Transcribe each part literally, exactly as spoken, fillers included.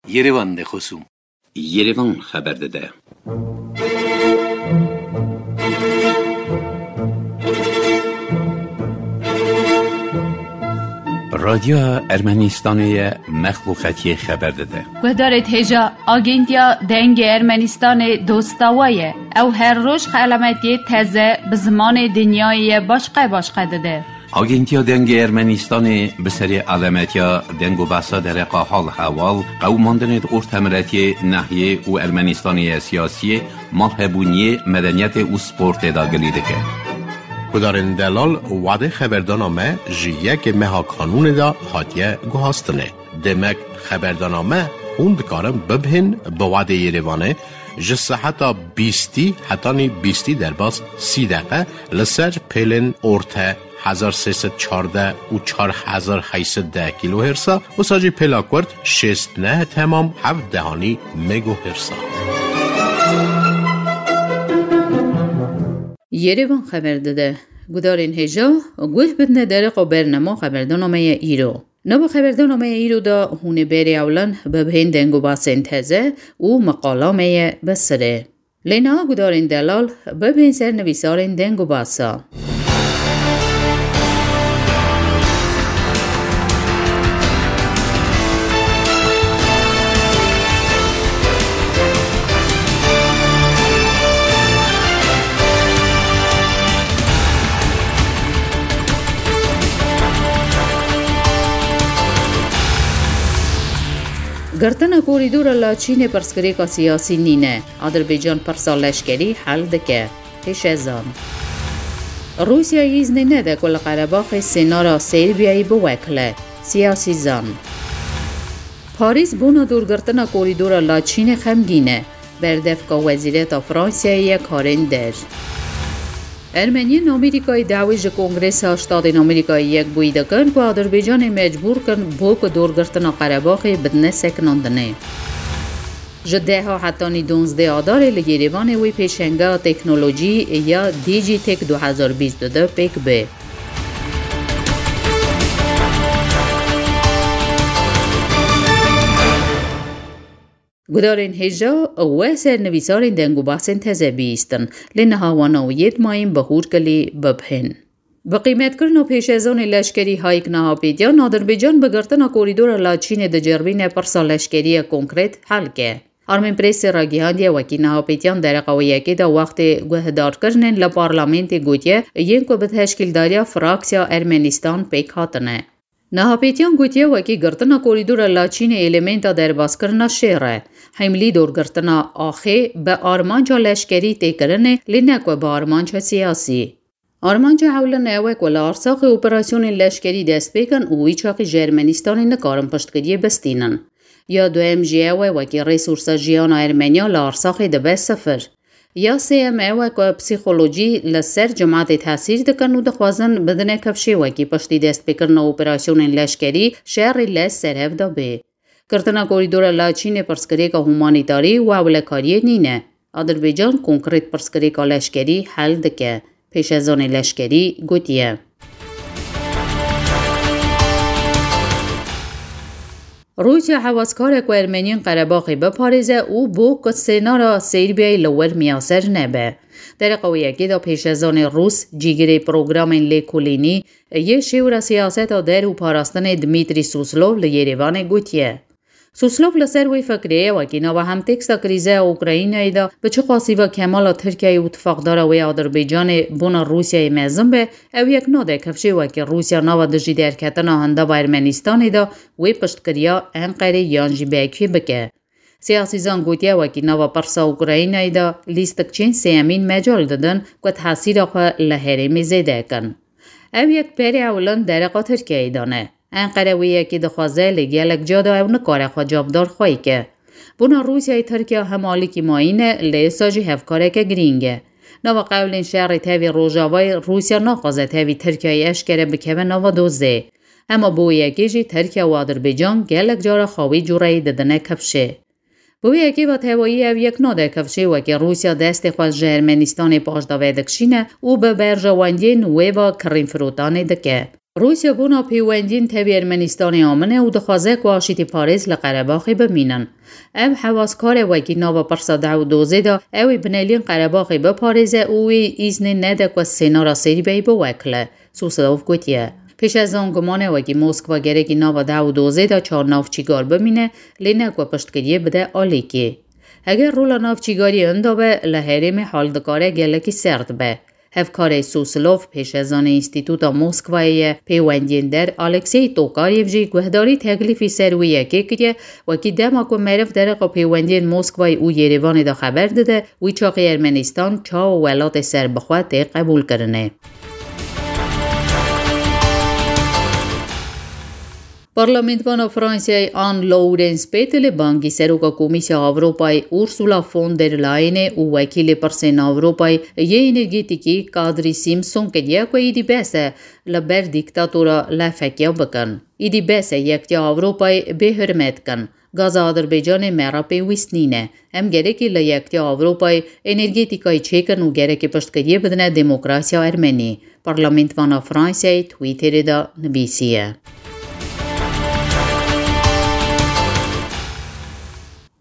Yerevan de xosûm. Yerevan xeber dide. Radyoya Ermenistanê ye, mexluqetiyê xeber dide. Guhdarê hêja, Agentiya Dengê Ermenistanê dosta we ye. Ew her roj xelametiyê teze bi zimanê dinyayê ye başqe başqe dide. Agentiya Dengê Ermenistanê bi serê alemetiya deng û behsa dereqa hal hewal, qewimandinê di ortemiletiyê, nehiyê û Ermenistanê ye siyasiyê, malhebûniyê, medeniyetê û sportê de gilî dike. Gudarên delal, wadê xeberdana me ji yekê meha kanûnê de hatiye guhastinê. Demek xeberdana me hûn dikarin bibihên bi wadê Yerevanê ji seheta bîstî hetanî bîstî derbas sî deqe li ser pêlên orte hezar sê sed çardeh û çar hezar heyt sed deh kîlohêrsa, wisa jî pêla kurt şêst neh temam heft dehanî megohêrsa. Yerevan xeber dide. Gudarên hêja, guh bidine dereqa bernama xeberdana me ye îro. Nava xeberdana me ye îro de hûn ê berê ewlan bibihên deng û basên teze û meqala me ye bi sirê. Lê niha gudarên delal bibihên ser nivîsarên deng û basa. Girtina korîdora Laçînê pirsgirêka siyasî nîne. Adirbaycan pirsa leşkerî hel dike. Pêşezan. Rûsya îznê nede ku li Qerebaxê sênara Serbiyayê biwekile. Siyasîzan. Parîs bona dûrgirtina korîdora Laçînê xemgîn e. Berdevka Wezîreta Fransayê ye karên der. Ermeniyên Amerîkayê dawê ji Kongresa Ştatên Amerîkayê Yekbûyî dikin ku Adirbaycanê mecbûr kin bo ku dûrgirtina Qerebaxê bidine sekinandinê. Ji deha hetanî donzdeh Adarê li Yêrêvanê wê pêşengeha teknolojî ya Digitech du hezar bîst û du pêk be. Gudarên hêja we ser nivîsarên deng û basên teze bihîstin, lê niha wana û yê dimayîn bi hûr kilî bibihên. Bi qîmetkirina pêşezonê leşkerî Hayk Nahapêtiyan, Adirbaycan bi girtina korîdora Laçînê diceribîne pirsa leşkerî ye konkret hel ke. Armên Presê ragihandiye wekî Nahapêtiyan dereqa wê yekê de wextê guhdarkirinên li parlamentê gotiye, yên ku bi teşkîldariya fraksiya Ermenistan pêk hatine. Nahapêtiyan gotiye wekî girtina korîdora Laçînê elementa derbaskirina şêr e. Hemlî dorgirtina axê bi armanca leşkerî tê kirinê, lê ne ku bi armanca siyasî. Armanca ewlin ew e ku li Arsaxê operasyonên leşkerî dest pê kin û wî çaxî ji Ermenistanê nikarin piştgiriyê bistînin. Ya duyem jî ew e wekî resursa jiyana Ermeniya li Arsaxê dibe sifir. Ya sêyem ew e ku psîkolojî li ser cimatê tesîr dikin û dixwazin bidine kifşê wekî piştî destpêkirina operasyonên leşkerî şerê li ser hev de bê. Girtina korîdora Laçînê pirsgirêka humanîtarî û ewlekariyê nîne. Adirbaycan konkret pirsgirêka leşkerî hel dike, pêşezanê leşkerî gotiye. Rûsya hewazkar e ku Ermeniyên Qerebaxê biparêze û bo ku sênara Serbiyayê li wir miyaser nebe. Dereqa wê yekê de pêşezanê Rûs, cîgirê programên lêkolînî yê şêwra siyaseta der û parastinê Dmitrî Suslov li Yêrêvanê gotiye. Suslov li ser wê fikirê ye, wekî nava hemteksta krîzeya Ukraynayê de bi çiqasî ve kemala Tirkiyeyê û tifaqdara wê Adirbaycanê bona Rûsyayê mezin be, ew yek nade kifşê wekî Rûsya nava dijî derketina hindava Ermenistanê de wê piştgiriya Enqerê yan jî Bekî bike. Siyasîzan gotiye wekî nava pirsa Ukraynayê de lîstikçên sêyemîn mecal didin ku tesîra xwe li herêmê zêde kin. Ev yek berê ewlin dereqa Tirkiyeyê de ne. Enqere wê yekê dixwaze, lê gelek ca de ew nikare xwe cavdar xweyî ke. Bona Rûsyayê Tirkiya hem alîkî mayîn e, lê êsa jî hevkareke girîng e. Nava qewlên şerê tevî Rojavayê Rûsya naxwaze tevî Tirkiyeyê eşkere bikeve nava dozê. Hema bo yekê jî Tirkiye û Adirbaycan gelek cara xwe wî cûreyî didine kifşê. Bi wê yekê ve tevayî ev yek nade kifşê wekî Rûsya destê xwe ji Ermenistanê paş de vedikişîne û bi berjewendiyên wê ve kirîn firotanê dike. Rûsya bona pêwendiyên tevî Ermenistanê amine û dixwaze ku aşîtîparêz li Qerebaxê bimînin. Ev hewaskarê wekî nava pirsa deh û dozê de ew ê bineliyên Qerebaxê biparêze û wê îznê nede ku sênara Serbiyayê biwekile, Suslov gotiye. Pêşezan gumane wekî Moskva gerekî nava deh û dozê de çar navçîgar bimîne, lê ne ku piştgiriyê bide alîkê. Heger rola navçîgariyê inda be, li herêmê hal dikare gelekî serd be. Hevkarê Suslov, pêşezanê Înstîtuta Moskwayê ye pêwendiyên der, Alexey Tokayev jî guhdarî teklîfî ser wê yekê kiriye, wekî dema ku meriv dereqa pêwendiyên Moskwayê û Yerêvanê de xeber dide, wî çaxî Ermenistan çawa welatê serbixwe tê qebûlkirinê. Parlamentwana Fransayê Anne Laurence Pételê bangî Seroka Komîsya Ewropayê Ursula von der Leyenê û wekîlê pirsên Ewropayê yê energetîkî Kadri Simpson kiriye ku êdî bes e li ber dîktatora lefekiya bikin. Êdî bes e Yektiya Ewropayê bêhurmet kin. Gaza Adirbaycanê me re pêwîst nîne. Em gerekî li Yektiya Ewropayê energetîkayê çêkin û gerekî piştgiriyê bidine demokrasiya Ermenî. Parlamentvana Fransayê Twitterê de nivîsiye.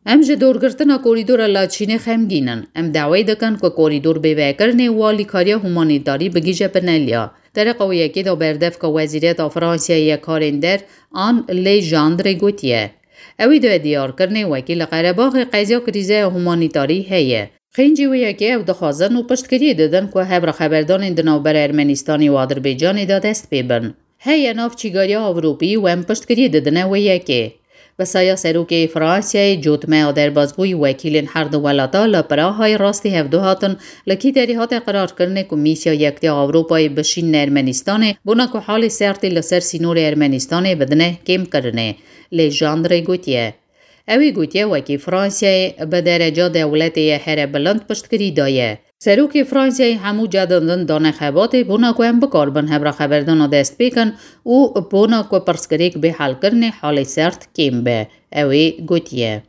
Em ji dorgirtina korîdora Laçînê xemgîn in. Em dawê dikin ku korîdor bê vekirinê û alîkariya humanîtarî bigihîje Pinelya. Dereqa wê yekê de berdevka Wezîreta Fransayê yê Karên Der Anne Legendre gotiye, ew ê di diyarkirinê wekî li Qerebaxê qeziya krîzeya humanîtarî heye. Xêncî wê yekê ew dixwazin û piştgiriyê didin ku hevra xeberdanên di navbera Ermenistanê û Adirbaycanê de dest pê bin. Heye navçîgariya Ewropî û em piştgiriyê didine wê yekê. Bi saya serokê Fransayê, cotmeya derbazbûyî wekîlên her du welata li Prahayê rastî hevdu hatin, li kî derê hate qirarkirinê ku Mîsya Yektiya Ewropayê bişîne Ermenistanê, bona ku halê sertê li ser sînorê Ermenistanê bidine kêmkirinê. Legendre gotiye. Ew ê gotiye wekî Fransayê bi dereca dewletê ye here bilind piştgirî daye. Serokê Fransayê hemû cedin din dane xebatê bona ku em bikaribin hevra xeberdana dest pê kin û bona ku pirsgirêk bê helkirinê halê sert kêm be, ew ê gotiye.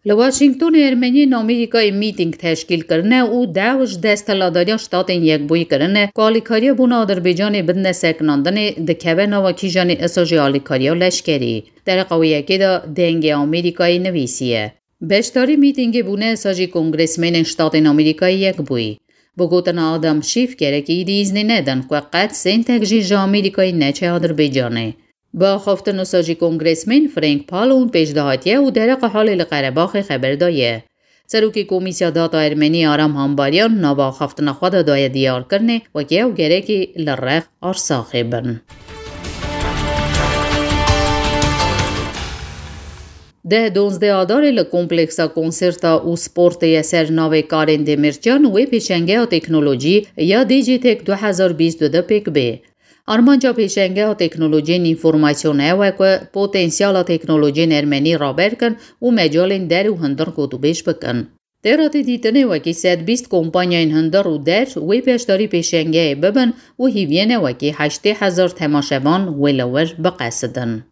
Li Washingtonê Ermeniyên Amerîkayê mîtîng teşkîl kirine û daw ji Desthilatdariya Ştatên Yekbûyî kirine ku alîkariya bona Adirbaycanê bidine sekinandinê dikeve nava kîjanê isa jî alîkariya leşkerî. Dereqa wê yekê de Dengê Amerîkayê nivîsiye. Beşdarî mîtîngê bûne isa jî kongresmenên Ştatên Amerîkayê Yekbûyî. Bi gotina Adam Schiff, gerekî êdî îznê nedin ku qet sêntek jî ji Amerîkayê neçe Adirbaycanê. Bi axaftin wisa jî kongresmên Frank Pallone pêş de hatiye û dereqa halê li Qerebaxê xeber daye. Serokê Komîsya Data Ermenî Aram Hambaryan nava axaftina xwe de daye diyarkirinê, wekî ew gerekî li rex Arsaxê bin. Deh donzdeh Adarê li Kompleksa Konserta û Sportê ye ser navê Karên Demîrcan wê pêşengeya teknolojî ya Digitech du hezar bîst û du pêk bê. Armanca pêşengeha teknolojiyên înformasyon ew e ku potensiyala teknolojiyên ermenî raber kin û mecalên der û hundir gotûbêj bikin. Tê re tê dîtinê wekî sed bîst kompanyayên hundir û der wê beşdarî pêşengehê bibin û hîviyê ne wekî heştê hezar temaşevan wê li wir biqesidin.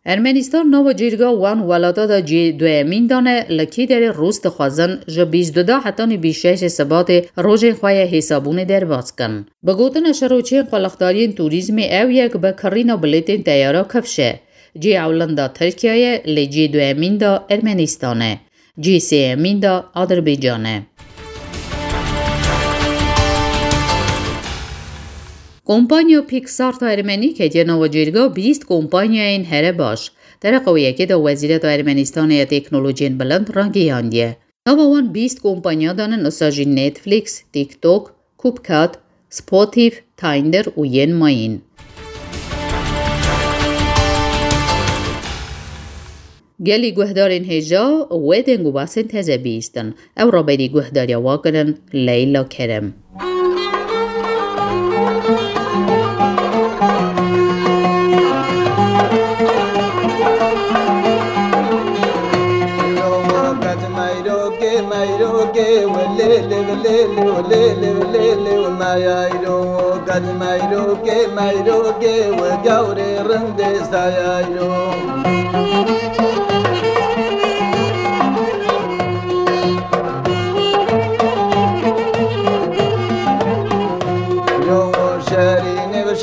Ermenistan nava cîrga wan welata de cî duyemîn dane, li kî derê Rûs dixwazin ji bîst û du hetanî bîst şeşê Sibatê rojên xwe yê hêsabûnê derbas kin. Bi gotina şeroçiyên qulixdariyên turîzmê ew yek bi kirîna bilêtên teyara kifş e. Cî ewlin de Tirkiye ye, lê cî duyemîn de Ermenistan e. Cî sêyemîn de Adirbaycan e. Kompanya Pixart a Ermenî ketiye nava cêrga bîst kompanyayên here baş. Dereqa wê yekê de Wezîreta Ermenistanê ya Teknolojiyên Bilind ragihandiye. Nava wan bîst kompanya de ne, wisa jî Netflix, TikTok, CapCut, Spotify, Tinder û yên mayîn. Gelî guhdarên hêja wê deng û basên teze bihîstin. Ew raberî guhdariya wa kirin Leyla Kerem.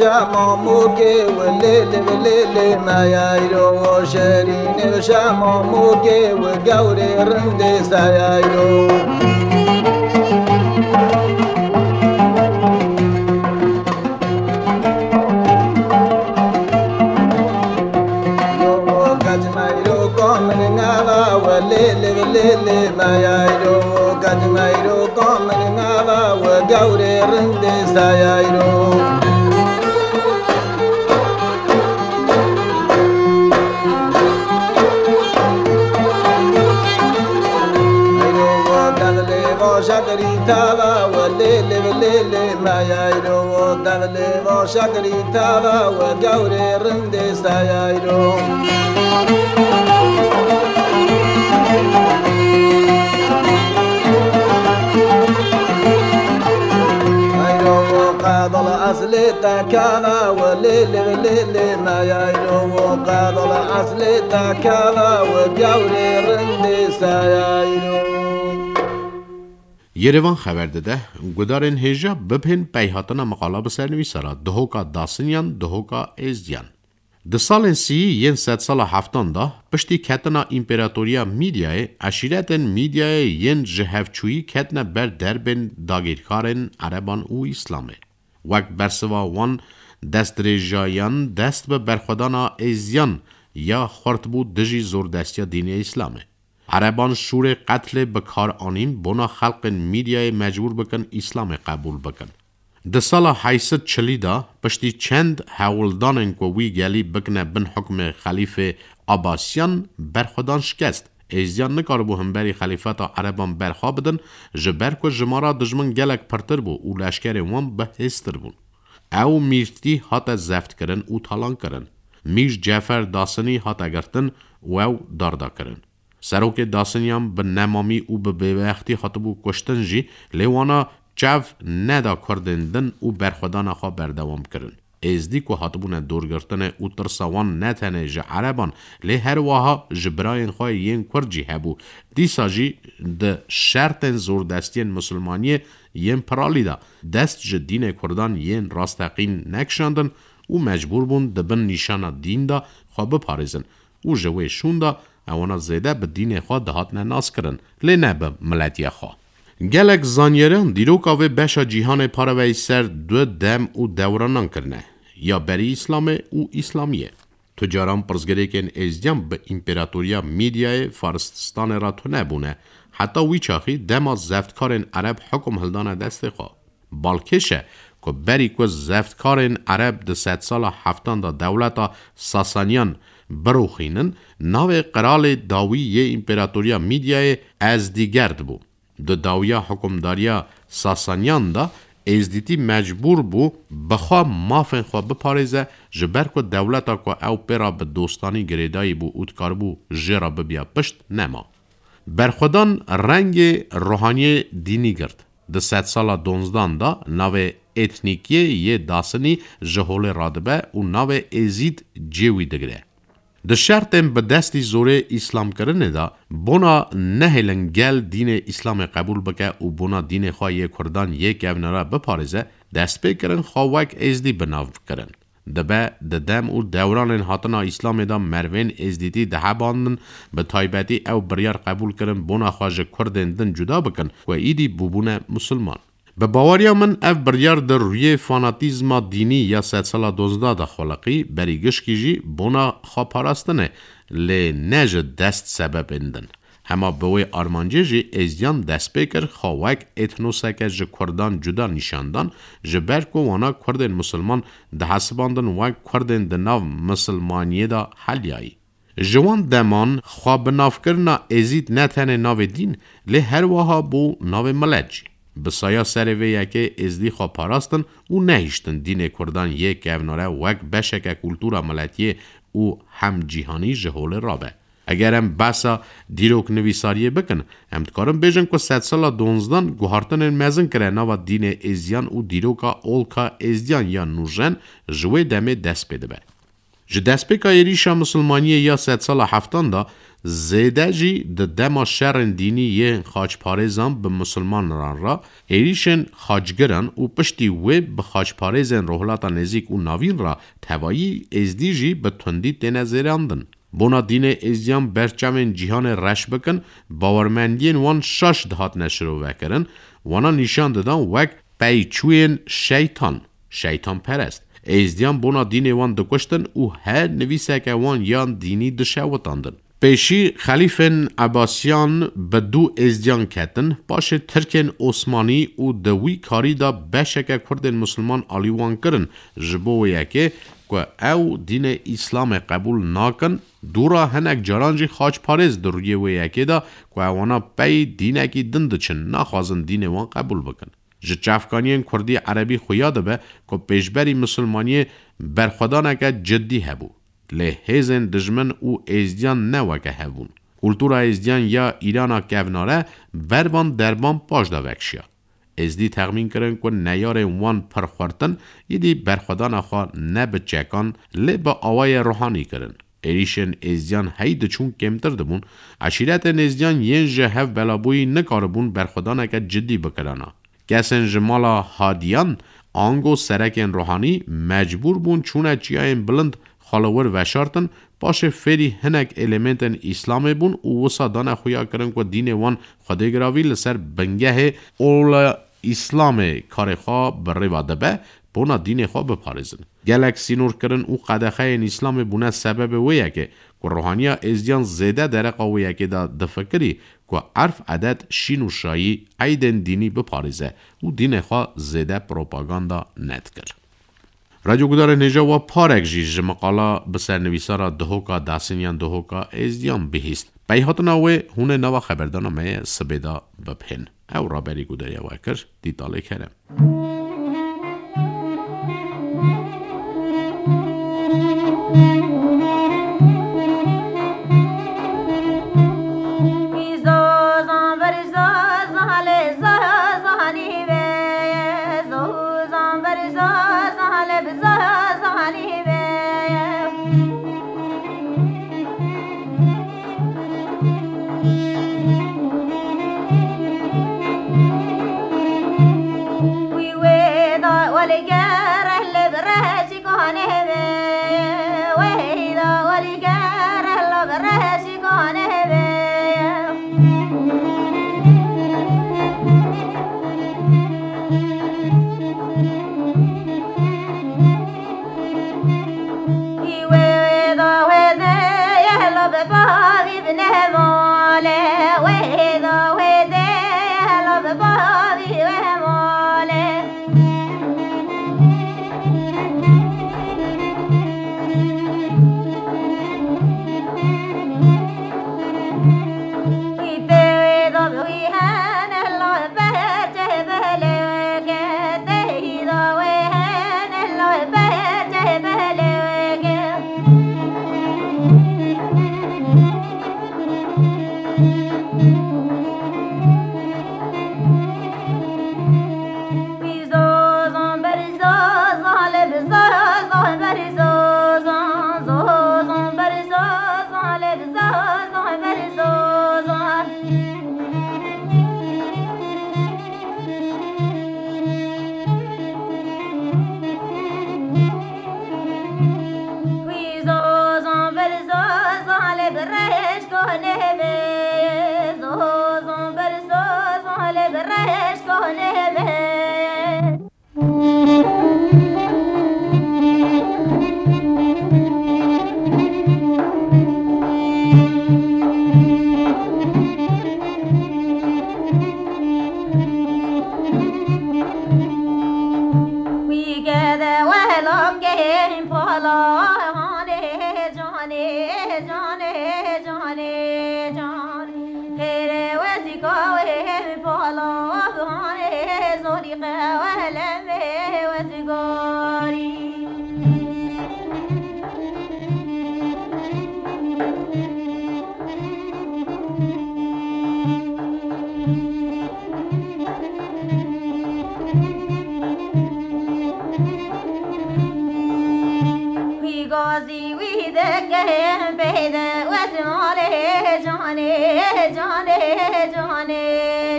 Şamamokê û lê lê lê lê mayayro, şerînê şamamokê û gawrê rindê sayayro. Yo kacmayro komir ngava û lê lê lê lê mayayro, kacmayro komir ngava û gawrê rindê sayayro. Ayro û dexlê vaşa kirî tava û lê lê lê lê mayayro û dexlê vaşa kirî tava û gawrê rindê sayayro. Ayro û qadal eslê te kava û lê lê lê lê mayayro û qadal eslê te kava û gawrê rindê sayayro. Yerevan xeber dide, gudarên hêja bibhên peyhatina miqala bi sernivîsa re, dihoka Dasiniyan, dihoka Êzdiyan. Di salên sî yên sedsala heftan de, piştî ketina Împeratoriya Mîdyayê, eşîretên Mîdyayê yên ji hevçûyî ketine ber derbên dagîrkarên Ereban û Îslamê. Wek bersiva wan destdirêjayan dest bi berxwedana Êzdiyan ya xurt bû dijî zordestiya dînê Îslamê. Ereban şûrê qetlê bi kar anîn bona xelqên Mîdyayê mecbûr bikin Îslamê qebûl bikin. Di sala heyt sed çilî de piştî çend hewldanên ku wî gelî bikine bin hukmê Xelîfê Abasiyan berxwedan şikest. Êzdiyan nikaribû himberî xelîfeta Ereban berxwe bidin, ji ber ku jimara dijmin gelek pirtir bû û leşkerên wan bihêztir bûn. Ew mîrtî hate zeftkirin û talankirin. Mîr Cefer Dasinî hate girtin û ew darda kirin. Serokê Dasiniyan bi nemamî û bi bêbextî hatibû kuştin jî, lê wana çav neda Kurdên din û berxwedana xwe berdewam kirin. Êzdî ku hatibûne dorgirtinê û tirsa wan ne tenê ji Ereban, lê her wiha ji birayên xwe yên Kurd jî hebû. Dîsa jî di şertên zordestiyên misilmaniyê yên piralî de dest ji dînê Kurdan yên rasteqîn nekişandin û mecbûr bûn di bin nîşana dîn de xwe biparêzin û ji wê şûn de ewana zêde bi dînê xwe dihatine naskirin, lê ne bi miletiya xwe. Gelek zanyeran dîroka vê beşa cîhanê pareveyî ser du dem û dewranan kirine, ya berî Îslamê û Îslamiyê. Tu caran pirsgirêkên Êzdiyan bi Împeratoriya Mîdyayê Farististanê re tune bûne, heta wî çaxî dema zeftkarên Ereb hukum hildane destê xwe. Balkêş e ku berî ku zeftkarên Ereb di sedsala heftan de dewleta Sasaniyan biroxînin, navê qiralê dawî yê Împeratoriya Mîdyayê Ezdîgerd bû. Di dawiya hukimdariya Sasaniyan de Êzdîtî mecbûr bû bi xwe mafên xwe biparêze, ji ber ku dewleta ku ew pê re bi dostanî girêdayî bû û dikaribû jê re bibiya pişt, nema. Berxwedan rengê ruhaniyê dînî girt. Di sedsala donzdan de navê etnîkiyê yê Dasinî ji holê radibe û navê Êzîd cê wî digire. Di şertên bi destî zorê îslamkirinê de bona nehêlin gel dînê Îslamê qebûl bike û bona dînê xwe yê Kurdan yê kevnere biparêze, destpêkirin xwe wek Êzdî bi nav kirin. Dibe di dem û dewranên hatina Îslamê de merivên Êzdîtî dihebandin, bi taybetî ew biryar qebûl kirin bona xwe ji Kurdên din cuda bikin ku îdî bûbûne misilman. Bi baweriya min ev biryar di rûyê fanatîzma dînî ya sedsala donzda de xweliqî, berî gişkî jî bona xweparastinê, lê ne ji dest sebebên din. Hema bi wê armancê jî Êzdiyan dest pê kir xwe wek etnoseke ji Kurdan cuda nîşan dan, ji ber ku wana Kurdên misilman dihesibandin wek Kurdên di nav misilmaniyê de heliyayî. Ji wan deman xwe bi navkirina Êzîd ne tenê navê dîn, lê her wiha bû navê milet jî. Bi saya serê vê yekê Êzdî xwe parastin û nehiştin dînê Kurdan yê kevnare wek beşeke kultura miletiyê û hemcîhanî ji holê rabe. Eger em behsa dîroknivîsariyê bikin, em dikarin bêjin ku sedsala donzdan guhartinên mezin kire nava dînê Êzdiyan û dîroka olka Êzdiyan ya nûjen ji wê demê dest pê dibe. Ji destpêka êrîşa misilmaniyê ya sedsala heftan de Zêde jî di dema şerên dînî yên xaçparêzan bi misilmanan re, êrîşên xaçgiran û piştî wê bi xaçparêzên Rojhilata Nêzîk û Navîn re tevayî êzdî jî bi tundî têne zêrandin. Bona dînê êzdiyan berçavên cîhanê reş bikin, bawermendiyên wan şaş dihatine şirovekirin, wana nîşan didan wek peyçûyên şeytan, şeytanperest. Êzdiyan bona dînê wan dikuştin û her nivîseke wan yan dînî dişewitandin. Pêşî xelîfên Ebasiyan bi dû êzdiyan ketin, paşê Tirkên Osmanî û di wî karî de beşeke Kurdên Musulman alî wan kirin. Ji bo wê yekê ku ew dînê Îslamê qebûl nakin, dû re hinek caran jî xaçparêz di rûyê wê yekê de ku ewana pey dînekî din diçin, naxwazin dînê wan qebûl bikin. Ji çavkaniyên Kurdî Erebî xuya dibe ku pêşberî Misilmaniyê berxwedaneke cidî hebû. Lê hêzên dijmin û êzdiyan ne weke hev bûn. Kultura êzdiyan ya Îrana kevnare ber van derban paş de vekişiya. Êzdî texmîn kirin ku neyarên wan pir xurt in, îdî berxwedana xwe ne bi çekan, lê bi awayê ruhanî kirin. Êrîşên êzdiyan hey diçûn kêmtir dibûn, eşîretên êzdiyan yên ji hev belabûyî nikaribûn berxwedaneke cidî bikirana. Kesên ji mala hadiyan, ango serekên ruhanî mecbûr bûn çûne çiyayên bilind xwe li wir veşartin, paşê fêrî hinek elementên Îslamê bûn û wisa dane xuya kirin ku dînê wan xwedêgiravî li ser bingehê ola Îslamê karê xwe bi rêva dibe, bona dînê xwe biparêzin. Gelek sînorkirin û qedexeyên Îslamê bûne sebebê wê yekê ku ruhaniya êzdiyan zêde dereqa wê yekê de difikirî ku erf, edet, şîn û şayî, eydên dînî biparêze û dînê xwe zêde propaganda nedikir. Radyo gudarên hêja we parek jî ji miqala bi sernivîsara Dihoka Dasin yan Dihoka Êzdiyan bihîst. Peyhatina wê hûn ê nava xeberdana me ye sibê de bibihên. Ew raberî gudariya we kir, Dîtalê Kerem.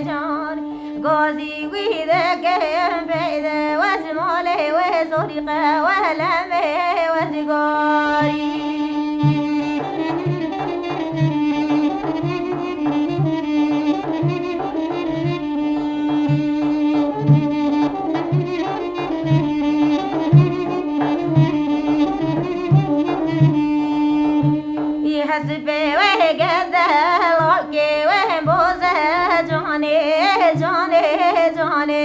Can, gazî wî dikim peyde, wez malê wê zorî qe, welemê wez gorî. Wî hesibê wê gede, lokê wê boze, canê, canê, canê,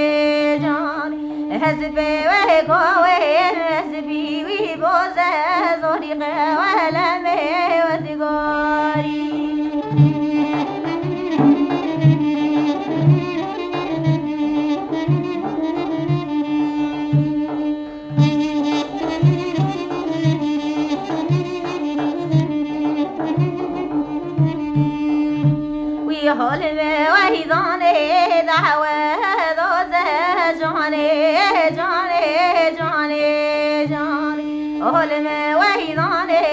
canê. Hesibê wê kowê, hesibî wî boze, zorî qe welemê wez gorî. Wî holmê weydanê dawe doze, canê, canê, canê, canê. Holmê weydanê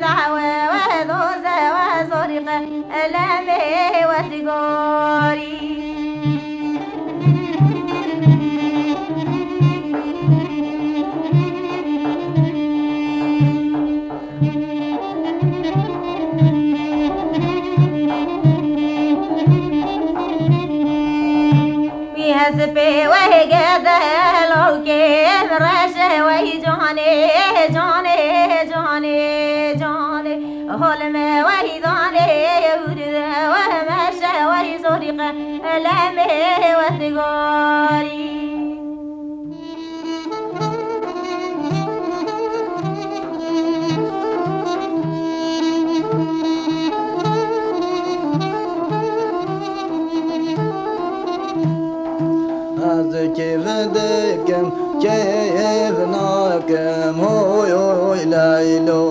dawe we doze, we zorî qe elemê wez gorî. Wî hesibê wê gede, lokê reşe wey, canê, canê, canê, canê. Holmê weydanê, ewride we meşe wey, zorî qe elemê wez gorî. Ez kêf dikim, kêf nakim, hoy, hoy, Leylo.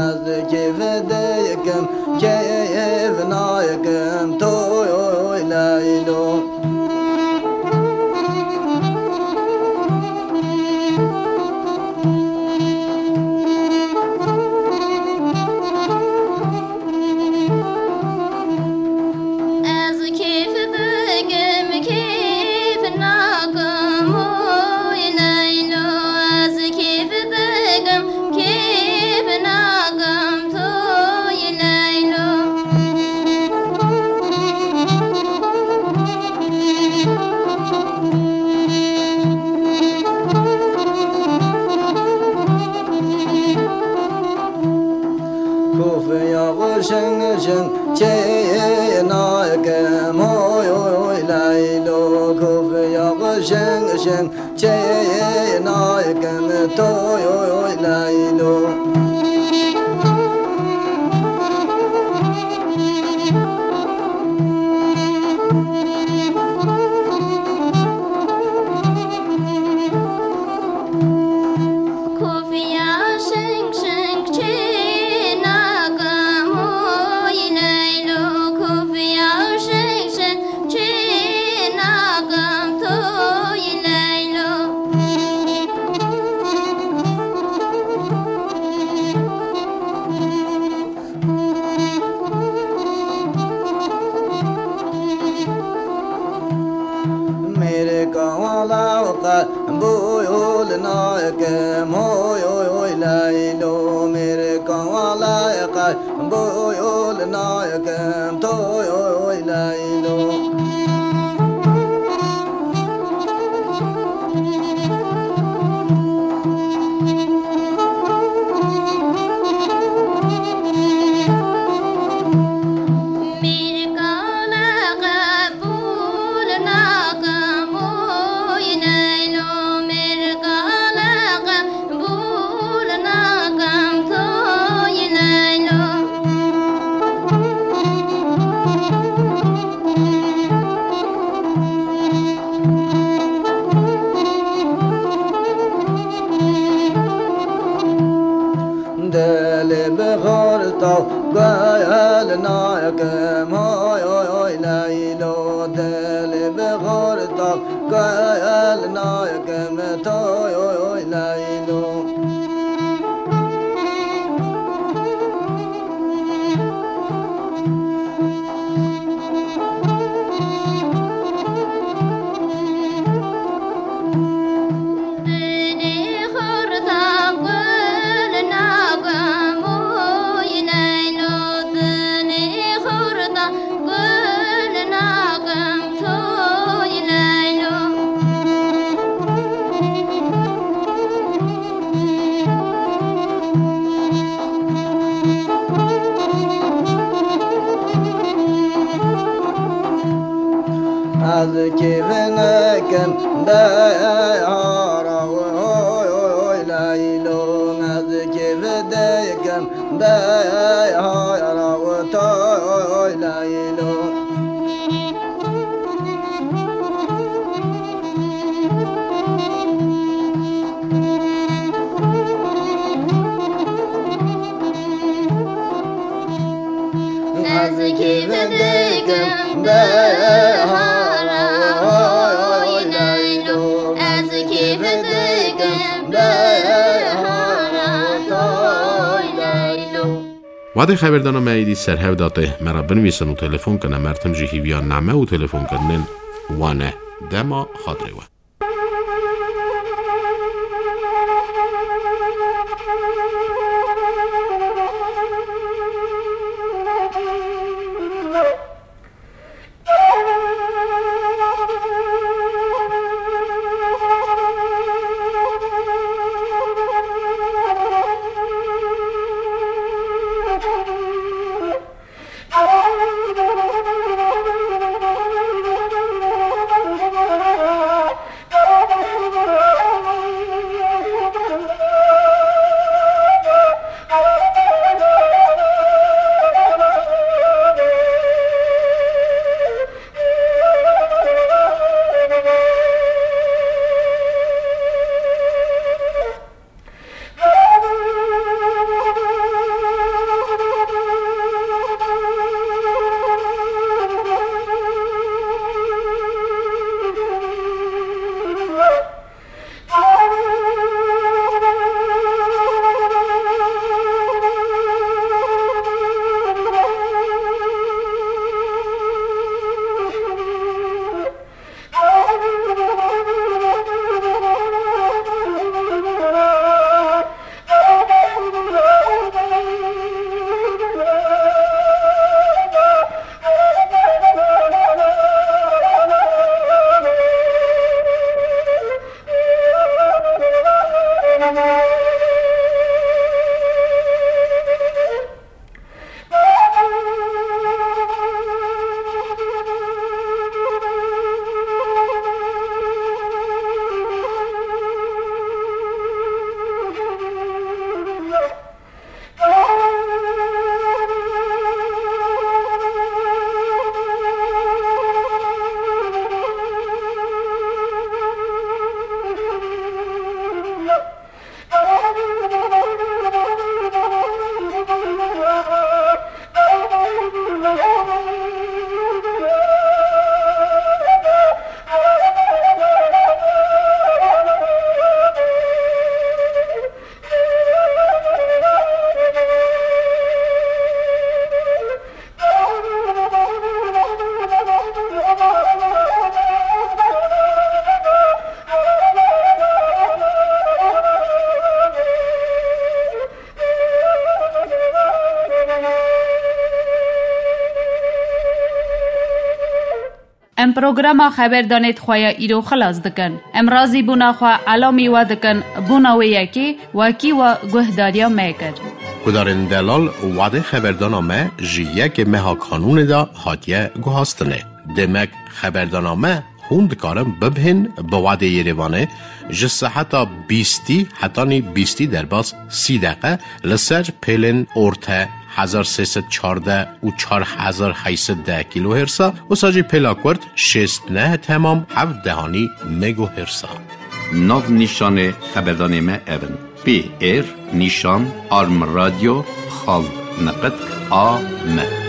Ez kêf dikim, kêf nakim, toy, hoy, Leylo. Ez kêf dikim, kêf nakim, oy Leylo. Ez kêf dikim, kêf nakim, toy Leylo. Kofiya xwe şing şing çê nakim, oy, oy, oy, Leylo. Kofiya xwe şing şing çê nakim, toy, oy, oy, Leylo. Kofiya şeng şeng çê nakim, oy Leylo. Kofiya şeng şeng çê nakim, toy Leylo. Mêrika wala qe boyol nakim, hoy, hoy, hoy, Leylo. Mêrika wala qe boyol nakim, toy, hoy, hoy, Leylo. Dilê bi xorta gel nakim, oy, oy, oy, Leylo. Dilê bi xorta gel nakim, toy, oy, oy, Leylo. Kêfinikim de hara oy oy Leylo, ez kêf dikim de hara oy Leylo. Ez kêf dikim behara oy Leylo, ez kêf dikim behara oy Leylo. Wadê xeberdana me êdî ser hev da tê. Me re binivîsin û telefon kin. Em her tim jî hîviya name û telefonkirinên wan e. Dema xatirê we. Em programa xeberdanê di xwe ya îro xilas dikin. Em razîbûna xwe elamî we dikin, bûna wê yekê wekî we guhdariya me kir. Guhdarên delal, wadê xeberdana me ji yekê meha Kanûnê de hatiye guhastinê. Demek xeberdana me hûn dikarin bibihên bi wadê Yerêvanê ji seheta bîstî hetanî bîstî derbas sî deqe li ser pêlên orte hezar sê sed çardeh û çar hezar heyt sed deh kilohertsa, wisa jî pêla kurt şêst neh temam heft dehanî megohertsa. Nav nîşanê xeberdanê me ev in: P R nîşan arm radio xal niqit A M.